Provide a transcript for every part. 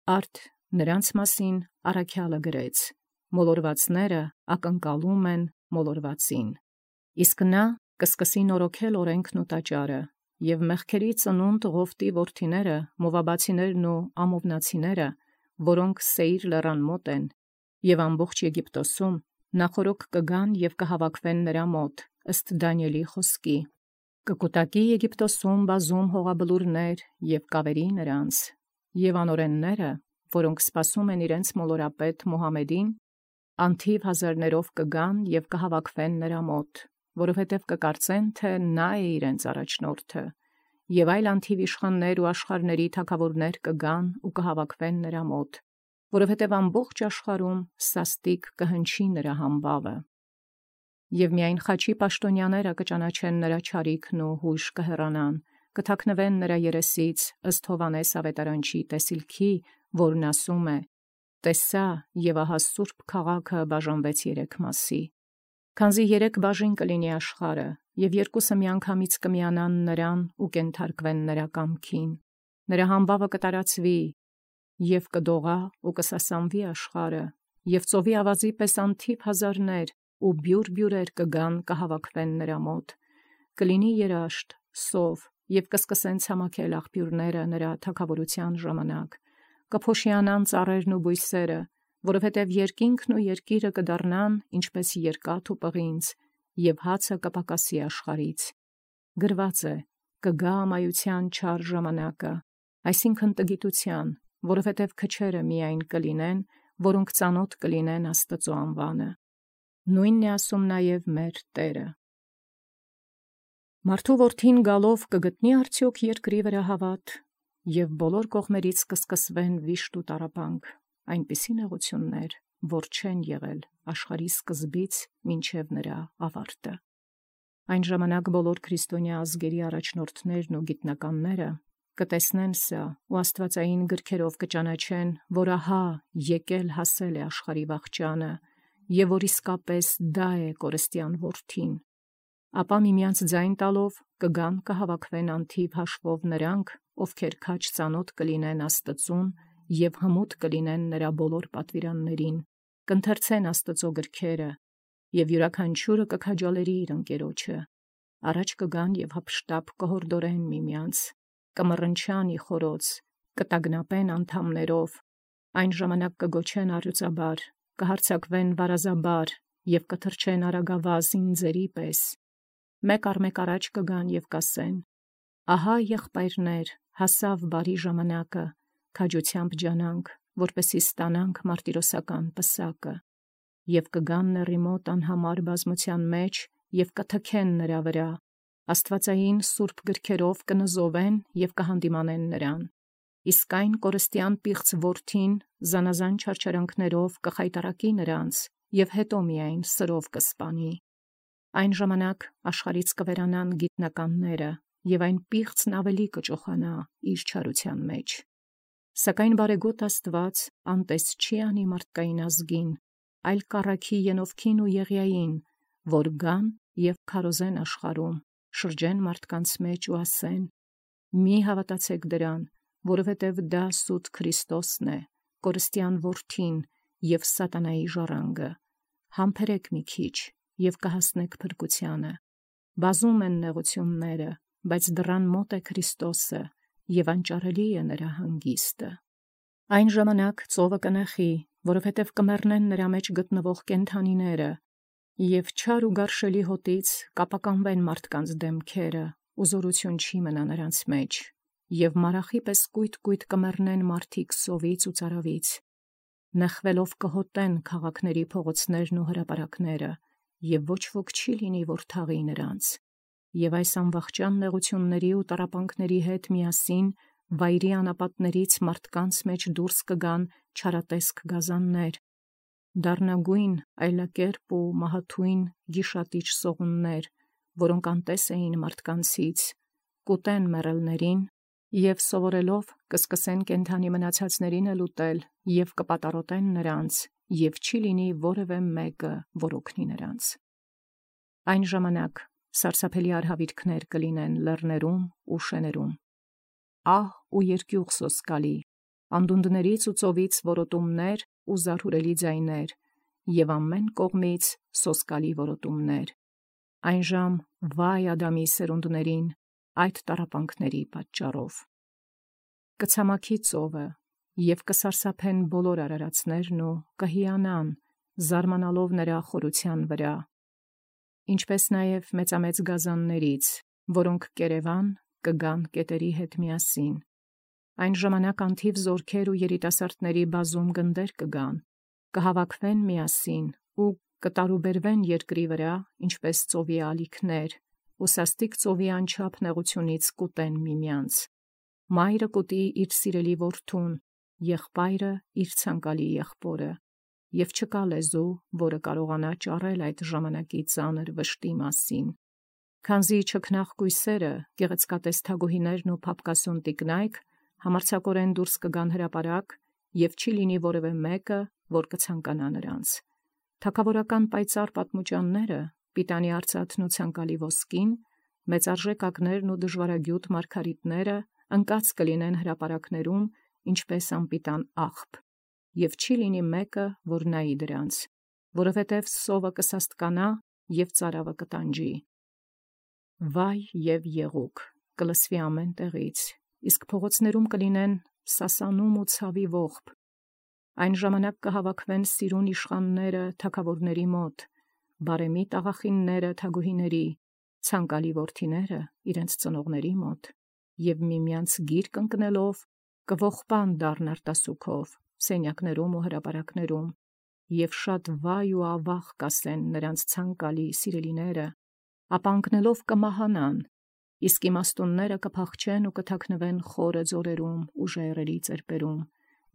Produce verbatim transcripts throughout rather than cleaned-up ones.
Արդ նրանց մասին առաքյալը գրեց. մոլորվածները ակնկալում են մոլորվածին։ Իսկ նա կսկսի նորոգել օրենքն ու տաճարը, և մեղքերի ծնունդ Ղովտի որդիները, մովաբացիներն ու ամովնացիները, որոնք Սեիր լեռան մոտ են, և ամբողջ Եգիպտոսում նախորոք կգան և կհավաքվեն նրա մոտ, ըստ Դանիէլի խոսքի. կկուտակի Եգիպտոսում բազում հողաբլուրներ և կավերի նրանց, և անօրենները, որոնք սպասում են իրենց մոլորապետ Մուհամեդին, անթիվ հազարներով կգան և կհավաքվեն նրա մոտ, որովհետև կկարծեն, թե նա է իրենց առաջնորդը, և այլ անթիվ իշխաններ ու աշխարհների թագավորներ կգան ու կհավաքվեն նրա մոտ, որովհետև ամբողջ աշխարհում սաստիկ կհնչի նրա համբավը։ Եվ միայն խաչի պաշտոնյաները կճանաչեն նրա չարիքն ու հույժ կհեռանան, կթաքնվեն նրա երեսից, ըստ Հովհաննես ավետարանչի տեսիլքի, որն ասում է. «Տեսա, և ահա սուրբ քաղաքը բաժանվեց երեք մասի, քանզի երեք բաժին կլինի աշխարհը, և երկուսը միանգամից կմիանան նրան ու կենթարկվեն նրա կամքին, նրա համբավը կտարածվի, և կդողա ու կսասանվի աշխարհը, և ծովի ավազի պես անթիվ հազարներ ու բյուր-բյուրեր կգան կհավաքվեն նրա մոտ, կլինի երաշտ, սով, և կսկսեն ցամաքել աղբյուրները նրա թագավորության ժամանակ, կփոշիանան ծառերն ու բույսերը, որովհետև երկինքն ու երկիրը կդառնան ինչպես երկաթ ու պղինձ, և հացը կպակասի աշխարհից։ Գրված է. կգա ամայության չար ժամանակը, այսինքն տգիտության, որովհետև քչերը միայն կլինեն, որոնք ծանոթ կլինեն Աստծու անվանը։ Նույնն է ասում նաև մեր Տերը։ Մարդու որդին գալով կգտնի արդյոք երկրի վրա հավատ, և բոլոր կողմերից կսկսվեն վիշտ ու տառապանք, այնպիսի նեղություններ, որ չեն եղել աշխարհի սկզբից մինչև նրա ավարտը։ Այն ժամանակ բոլոր քրիստոնյա ազգերի առաջնորդներն ու գիտնականները կտեսնեն սա ու աստվածային գրքերով կճանաչեն, որ ահա եկել հասել է աշխարհի վախճանը, և որ իսկապես դա է կորստյան որդին։ Ապա միմյանց ձայն տալով կգան կհավաքվեն անթիվ հաշվով նրանք, ովքեր քաջ ծանոթ կլինեն Աստծուն և հմուտ կլինեն նրա բոլոր պատվիրաններին, կընթերցեն Աստծու գրքերը, և յուրաքանչյուրը կքաջալերի իր ընկերոջը, առաջ կգան և հափշտապ կհորդորեն միմյանց, կմռնչան ի խորոց, կտագնապեն անդամներով, այն ժամանակ կգոչեն առյուծաբար, կհարձակվեն վարազաբար և կթռչեն արագավազ ինձերի պես, մեկ առ մեկ առաջ կգան և կասեն. ահա եղբայրներ, հասավ բարի ժամանակը, քաջությամբ ջանանք, որպեսզի ստանանք մարտիրոսական պսակը, և կգան նեռի մոտ անհամար բազմության մեջ և կթքեն նրա վրա, աստվածային սուրբ գրքերով կնզովեն և կհանդիմանեն նրան, իսկ այն կորստյան պիղծ որդին զանազան չարչարանքներով կխայտառակի նրանց և հետո միայն սրով կսպանի։ Այն ժամանակ աշխարհից կվերանան գիտնականները, և այն պիղծն ավելի կճոխանա իր չարության մեջ։ Սակայն բարեգոտ Աստված անտես չի անի մարդկային ազգին, այլ կառաքի Ենովքին ու Եղիային, որ գան և քարոզեն աշխարհում, շրջեն մարդկանց մեջ ու ասեն. մի հավատացեք դրան, որովհետև դա սուտ Քրիստոսն է, կորստյան որդին և սատանայի ժառանգը, համբերեք մի քիչ և կհասնեք փրկությանը։ Բազում են նեղությունները, բայց դռան մոտ է Քրիստոսը, և անճարելի է նրա հանգիստը։ Այն ժամանակ ծովը կնեխի, որովհետև կմեռնեն նրա մեջ գտնվող կենդանիները, և չար ու գարշելի հոտից կապականվեն մարդկանց դեմքերը, ու զորություն չի մնա նրանց մեջ, և մարախի պես կույտ-կույտ կմեռնեն մարդիկ սովից ու ծարավից, նեխվելով կհոտեն քաղաքների փողոցներն ու հրապարակները, և ոչ ոք չի լինի, որ թաղի նրանց, և այս անվախճան նեղությունների ու տառապանքների հետ միասին վայրի անապատներից մարդկանց մեջ դուրս կգան չարատեսք գազաններ, դառնագույն, այլակերպ ու մահաթույն գիշատիչ սողուններ, որոնք անտես էին մարդկանցից, կուտեն մեռելներին և սովորելով կսկսեն կենդանի մնացածներին էլ ուտել և կպատառոտեն նրանց, և չի լինի որևէ մեկը, որ օգնի նրանց։ Այն ժամանակ սարսափելի արհավիրքներ կլինեն լեռներում ու շներում, ահ ու երկյուղ սոսկալի, անդունդներից ու ծովից որոտումներ ու զարհուրելի ձայներ, և ամեն կողմից սոսկալի որոտումներ։ Այնժամ վայ Ադամի սերունդներին այդ տառապանքների պատճառով։ Կցամաքի ծովը, և կսարսափեն բոլոր արարածներն ու կհիանան, զարմանալով նրա խորության վրա, ինչպես նաև մեծամեծ գազաններից, որոնք կերևան կգան կետերի հետ միասին։ Այն ժամանակ անթիվ զորքեր ու երիտասարդների բազում գնդեր կգան, կհավաքվեն միասին ու կտարուբերվեն երկրի վրա, ինչպես ծովի ալիքներ, ու սաստիկ ծովի անչափ նեղությունից կուտեն միմյանց։ Մայրը կուտի իր սիրելի որդուն, եղբայրը իր ցանկալի եղբորը, և չկա լեզու, որը կարողանա ճառել այդ ժամանակի ծանր վշտի մասին։ Քանզի չքնաղ կույսերը, գեղեցկատես թագուհիներն ու փափկասուն տիկնայք համարձակորեն դուրս կգան հրապարակ, և չի լինի որևէ մեկը, որ կցանկանա նրանց։ Թագավորական պայծառ պատմուճանները, պիտանի արծաթն ու ցանկալի ոսկին, մեծարժեք ակներն ու դժվարագյուտ մարգարիտները ընկած կլինեն հրապարակներում, ինչպես անպիտան աղբ, և չի լինի մեկը, որ նայի դրանց, որովհետև սովը կսաստկանա և ծարավը կտանջի։ Վայ և եղուկ կլսվի ամեն տեղից, իսկ փողոցներում կլինեն սասանում ու ցավի ողբ։ Այն ժամանակ կհավաքվեն սիրուն իշխանները թագավորների մոտ, բարեմիտ աղախինները թագուհիների, ցանկալի որդիները իրենց ծնողների մոտ, և միմյանց գիրկ ընկնելով կողբան դառն արտասուքով սենյակներում ու հրապարակներում, և շատ վայ ու ավաղ կասեն նրանց ցանկալի սիրելիները, ապա ընկնելով կմահանան, իսկ իմաստունները կփախչեն ու կթաքնվեն խորը ձորերում ու ժայռերի ծերպերում,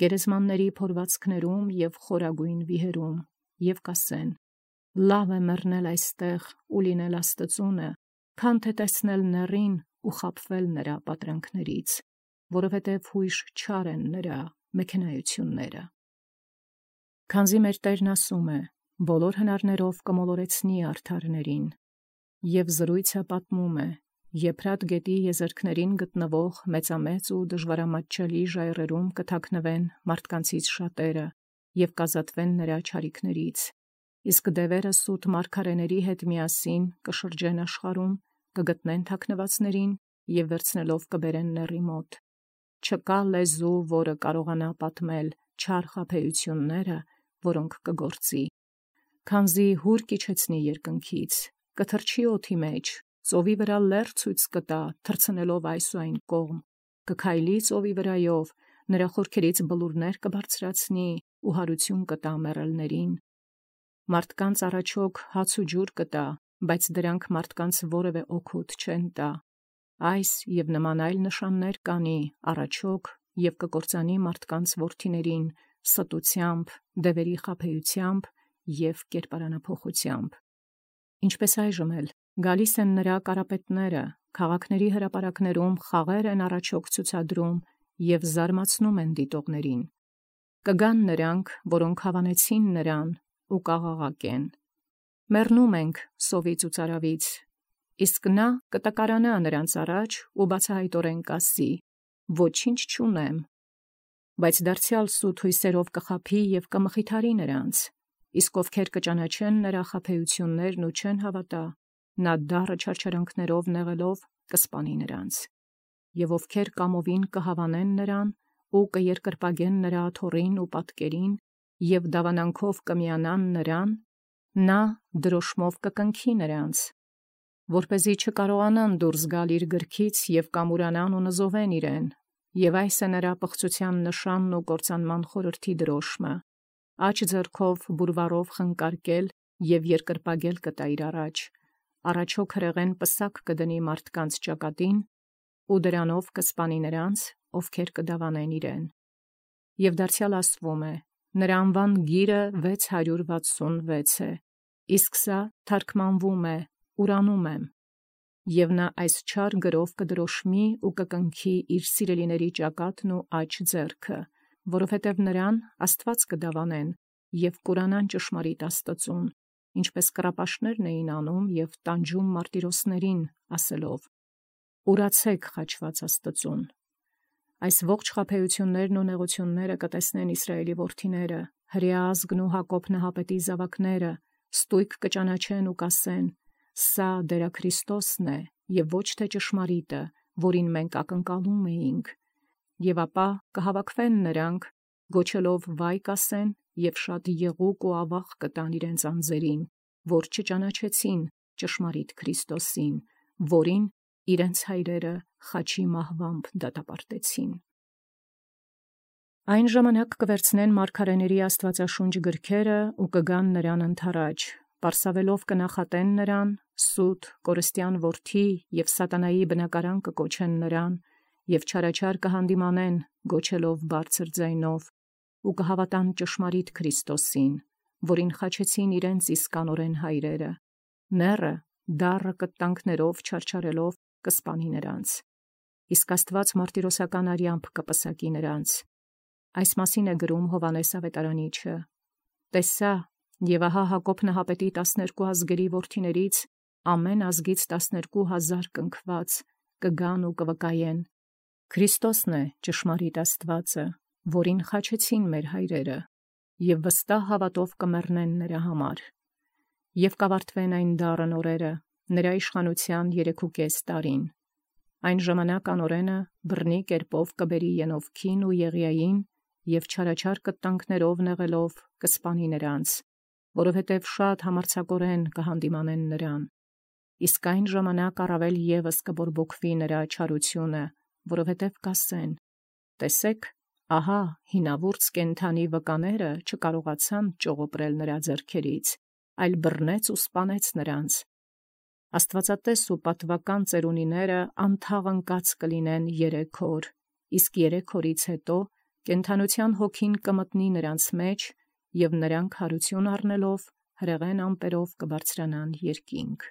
գերեզմանների փորվածքներում և խորագույն վիհերում, և կասեն. լավ է մեռնել այստեղ ու լինել աստծունը, քան թե տեսնել նեռին ու խաբվել նրա պատրանքներից, որովհետև հույժ չար են նրա մեքենայությունները։ Քանզի մեր Տերն ասում է. բոլոր հնարներով կմոլորեցնի արդարներին, և զրույցը պատմում է. Եփրատ գետի եզերքներին գտնվող մեծամեծ ու դժվարամատչելի ժայռերում կթաքնվեն մարդկանցից շատերը և կազատվեն նրա չարիքներից, իսկ դևերը սուտ մարգարեների հետ միասին կշրջեն աշխարհում, կգտնեն թաքնվածներին և վերցնելով կբերեն նեռի մոտ։ Չկա լեզու, որը կարողանա պատմել չար խաբեությունները, որոնք կգործի։ Քանզի հուր կիջեցնի երկնքից, կթռչի օդի մեջ, ծովի վրա լեռ ցույց կտա, թռցնելով այս ու այն կողմ, կքայլի ծովի վրայով, նրա խորքերից բլուրներ կբարձրացնի ու հարություն կտա մեռելներին։ Մարդկանց առաջոք հաց ու ջուր կտա, բայց դրանք մարդկանց որևէ օգուտ չեն տա։ Այս և նման այլ նշաններ կանի առաջոք և կկործանի մարդկանց որդիներին ստությամբ, դևերի խաբեությամբ և կերպարանափոխությամբ։ Ինչպես այժմ էլ գալիս են նրա կարապետները, քաղաքների հրապարակներում խաղեր են առաջոք ցուցադրում և զարմացնում են դիտողներին։ Կգան նրանք, որոնք հավանեցին նրան ու կաղաղակեն. մեռնում ենք սովից ու ծարավից, իսկ նա կտկարանա նրանց առաջ ու բացահայտորեն կասի. ոչինչ չունեմ, բայց դարձյալ սուտ հույսերով կխաբի և կմխիթարի նրանց, իսկ ովքեր կճանաչեն նրա խաբեություններն ու չեն հավատա, նա դառը չարչարանքներով նեղելով կսպանի նրանց, և ովքեր կամովին կհավանեն նրան ու կերկրպագեն նրա աթոռին ու պատկերին և դավանանքով կմիանան նրան, նա դրոշմով կկնքի նրանց, որպեսզի չկարողանան դուրս գալ իր գրքից և կամուրանան ու նզովեն իրեն, և այս է նրա պղծության նշանն ու կործանման խորհրդի դրոշմը, աջ ձեռքով բուրվարով խնկարկել և երկրպագել կտա իր առաջ, առաջոք հրեղեն պսակ կդնի մարդկանց ճակատին ու դրանով կսպանի նրանց, ովքեր կդավանեն իրեն։ Եվ դարձյալ ասվում է. նրա անվան գիրը վեց հարյուր վաթսունվեց է, իսկ սա թարգմանվում է ուրանում եմ, և նա այս չար գրով կդրոշմի ու կկնքի իր սիրելիների ճակատն ու աջ ձեռքը, որովհետև նրան Աստված կդավանեն և կուրանան ճշմարիտ Աստծուն, ինչպես կռապաշտներն էին անում և տանջում մարտիրոսներին, ասելով. «Ուրացե՛ք խաչված Աստծուն»։ Այս ողջ խաբեություններն ու նեղությունները կտեսնեն Իսրայելի որդիները, հրեա ազգն ու Հակոբ նահապետի զավակները, ստույգ կճանաչեն ու կասեն. «Սա դերա Քրիստոսն է, եւ ոչ թե ճշմարիտը, որին մենք ակնկալում էինք»։ Եւ ապա կհավաքվեն նրանք, գոչելով վայ կասեն, եւ շատ եղուկ ու ավաղ կտան իրենց անձերին, որ չճանաչեցին ճշմարիտ Քրիստոսին, որին իրենց հայրերը խաչի մահվամբ դատապարտեցին։ Այն ժամանակ կվերցնեն մարգարեների աստվածաշունչ գրքերը ու կգան նրան ընթառաջ, պարսավելով կնախատեն նրան, սուտ, կորստյան որդի եւ սատանայի բնակարան կկոչեն նրան, եւ չարաչար կհանդիմանեն, գոչելով բարձր ձայնով, ու կհավատան ճշմարիտ Քրիստոսին, որին խաչեցին իրենց իսկանորեն հայրերը, նեռը դառը կտանքներով չարչարելով կսպանի նրանց, իսկ Աստված մարտիրոսական արյամբ կպսակի նրանց։ Այս մասին է գրում Հովանես Ավետարանիչը. «Տեսա, եւ ահա Հակոբ նահապետի տասներկու ազգերի որդիներից ամեն ազգից տասներկու հազար կնքված կգան ու կվկայեն. Քրիստոսն է ճշմարիտ Աստվածը, որին խաչեցին մեր հայրերը, եւ վստահ հավատով կմեռնեն նրա համար։ Եվ կավարտվեն այն դառն օրերը, նրա իշխանության երեքուկես տարին։ Այն ժամանակ անօրենը բռնի կերպով կբերի Ենովքին ու Եղիային, եւ չարաչար կտանքներով նեղելով կսպանի նրանց, որովհետև շատ համարձակորեն կհանդիմանեն նրան։ Իսկ այն ժամանակ առավել ևս կբորբոքվի նրա չարությունը, որովհետև կասեն. տեսեք, ահա հինավուրց կենդանի վկաները չկարողացան ճողոպրել նրա ձեռքերից, այլ բռնեց ու սպանեց նրանց։ Աստվածատես ու պատվական ծերունիները անթաղընկած կլինեն երեք օր, իսկ երեք օրից հետո կենդանության հոգին կմտնի նրանց մեջ, եւ նրանք հարություն առնելով հրեղեն ամպերով կբարձրանան երկինք։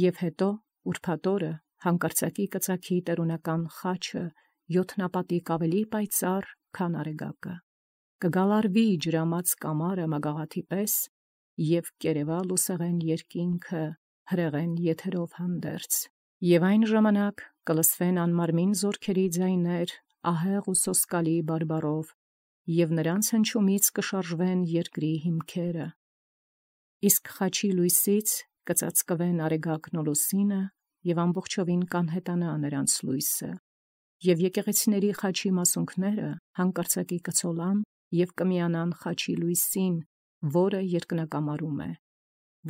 Եվ հետո ուրբաթ օրը հանկարծակի կծագի տերունական խաչը յոթնապատիկ ավելի պայծառ, քան արեգակը, կգալարվի ջրամած կամարը մագաղաթի պես, եւ կերևա լուսեղեն երկինքը հրեղեն եթերով հանդերձ, եւ այն ժամանակ կլսվեն անմարմին զորքերի ձայներ ահեղ ու սոսկալի բարբառով, եւ նրանց հնչումից կշարժվեն երկրի հիմքերը։ Իսկ խաչի լույսից կծածկվեն արեգակն ու լուսինը, եւ ամբողջովին կանհետանա նրանց լույսը, եւ եկեղեցիների խաչի մասունքները հանկարծակի կցոլան եւ կմիանան խաչի լույսին, որը երկնակամարում է։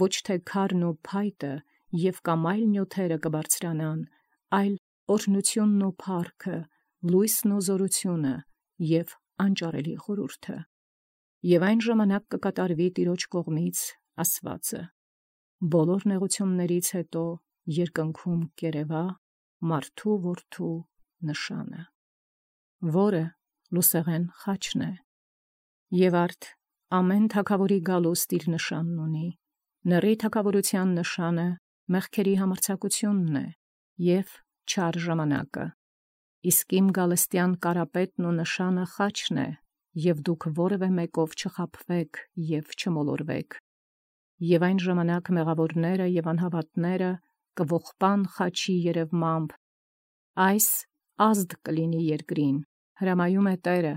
Ոչ թե քարն ու փայտը եւ կամ այլ նյութերը կբարձրանան, այլ օրհնությունն ու փառքը, լույսն ու զորությունը եւ անճարելի խորհուրդը։ Եվ այն ժամանակ կկատարվի Տիրոջ կողմից ասվածը. բոլոր նեղություններից հետո երկնքում կերևա մարդու որդու նշանը, որը լուսեղեն խաչն է։ Եվ արդ ամեն թագավորի գալուստ իր նշանն ունի, նռի թագավորության նշանը մեղքերի համարձակությունն է եւ չար ժամանակը, իսկ իմ գալստյան կարապետն ու նշանը խաչն է, եւ դուք որևէ մեկով չխաբվեք եւ չմոլորվեք։ Եվ այն ժամանակ մեղավորները եւ անհավատները կողպան խաչի երևմամբ, այս ազդ կլինի երկրին, հրամայում է Տերը։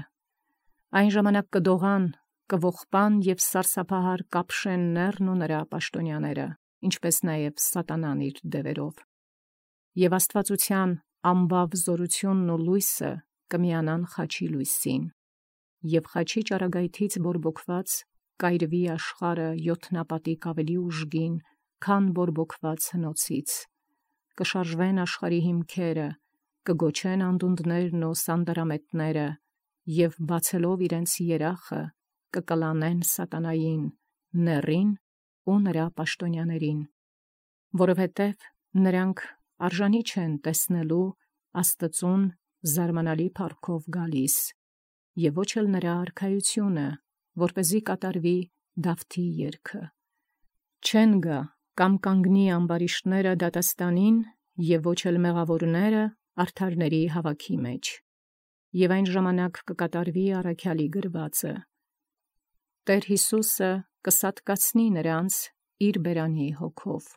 Այն ժամանակ կդողան, կողպան եւ սարսափահար կապշեն նեռն ու նրա պաշտոնյաները, ինչպես նաեւ սատանան իր դևերով։ Եվ աստվածության ամբավ զորությունն ու լույսը կմիանան խաչի լույսին, եւ խաչի ճառագայթից բորբոքված կայրվի աշխարհը յոթնապատիկ ավելի ուժգին, քան բորբոքված հնոցից, կշարժվեն աշխարհի հիմքերը, կգոչեն անդունդներն ու սանդարամետները, եւ բացելով իրենց երախը կկլանեն սատանային, նեռին ու նրա պաշտոնյաներին, որովհետև նրանք արժանի չեն տեսնելու Աստծուն զարմանալի փառքով գալիս, եւ ոչ էլ նրա արքայությունը, որպեսզի կատարվի Դավթի երգը։ Չեն գա կամ կանգնի ամբարիշտները դատաստանին, եւ ոչ էլ մեղավորները արդարների հավաքի մեջ, եւ այն ժամանակ կկատարվի առաքյալի գրվածը։ Տեր Հիսուսը կսատկացնի նրանց իր բերանի հոգով,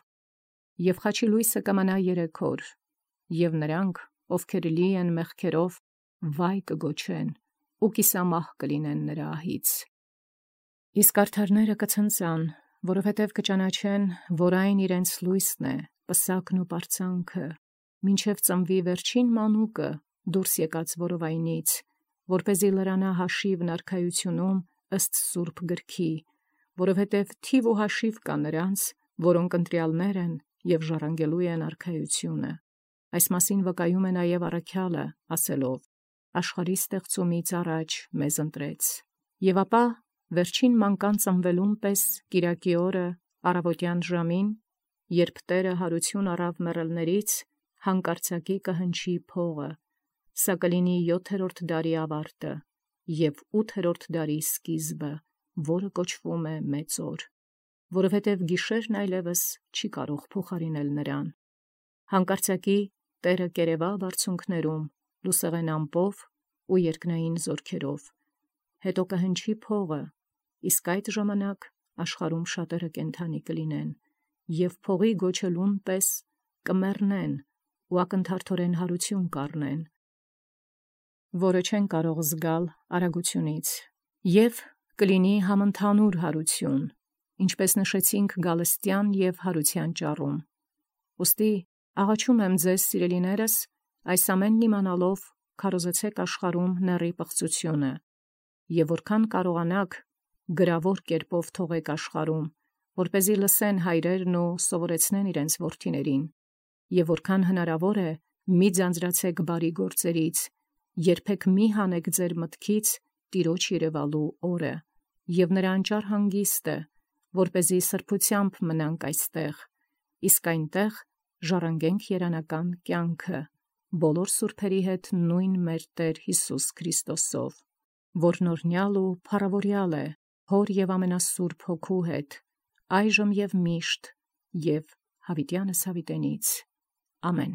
եւ խաչի լույսը կմնա երեք օր, եւ նրանք, ովքեր լի են մեղքերով, վայ կգոչեն, ու կիսամահ կլինեն նրա ահից։ Իսկ արդարները կցնծան, որովհետև կճանաչեն, որ այն իրենց լույսն է, պսակն ու պարծանքը, մինչև ծնվի վերջին մանուկը դուրս եկած որովայնից, որպեսզի լրանա հաշիվն արքայությունում ըստ սուրբ գրքի, որովհետև թիվ ու հաշիվ կա նրանց, որոնք ընտրյալներ են և ժառանգելու են արքայությունը։ Այս մասին վկայում է նաև առաքյալը, ասելով. աշխարհի ստեղծումից առաջ մեզ ընտրեց։ Եվ ապա վերջին մանկան ծնվելուն պես կիրակի օրը առավոտյան ժամին, երբ Տերը հարություն առավ մեռելներից, հանկարծակի կհնչի փողը, սա կլինի յոթերորդ դարի ավարտը և ութերորդ դարի սկիզբը, որը կոչվում է մեծ օր, որովհետև գիշերն այլևս չի կարող փոխարինել նրան։ Հանկարծակի Տերը կերևա բարձունքներում, լուսեղեն ամպով ու երկնային զորքերով, հետո կհնչի փողը, իսկ այդ ժամանակ աշխարհում շատերը կենդանի կլինեն, և փողի գոչելուն պես կմեռնեն ու ակնթարթորեն հարություն կառնեն, որը չեն կարող զգալ արագությունից, և կլինի համընդհանուր հարություն, ինչպես նշեցինք գալստյան և հարության ճառում։ Ուստի աղաչում եմ ձեզ, սիրելիներս, այս ամենն իմանալով քարոզեցեք աշխարհում նեռի պղծությունը, և որքան կարողանաք գրավոր կերպով թողեք աշխարհում, որպեսզի լսեն հայրերն ու սովորեցնեն իրենց որդիներին, և որքան հնարավոր է մի ձանձրացեք բարի գործերից, երբեք մի հանեք ձեր մտքից Տիրոջ երևալու օրը, և նրա անճառ հանգիստը, որպեսզի սրբությամբ մնանք այստեղ, իսկ այնտեղ ժառանգենք երանական կյանքը, բոլոր սուրբերի հետ նույն մեր Տեր Հիսուս Քրիստոսով, որն օրհնյալ ու փառավորյալ է Հոր և ամենասուրբ Հոգու հետ, այժմ և միշտ և հավիտյանս հավիտենից։ Ամեն։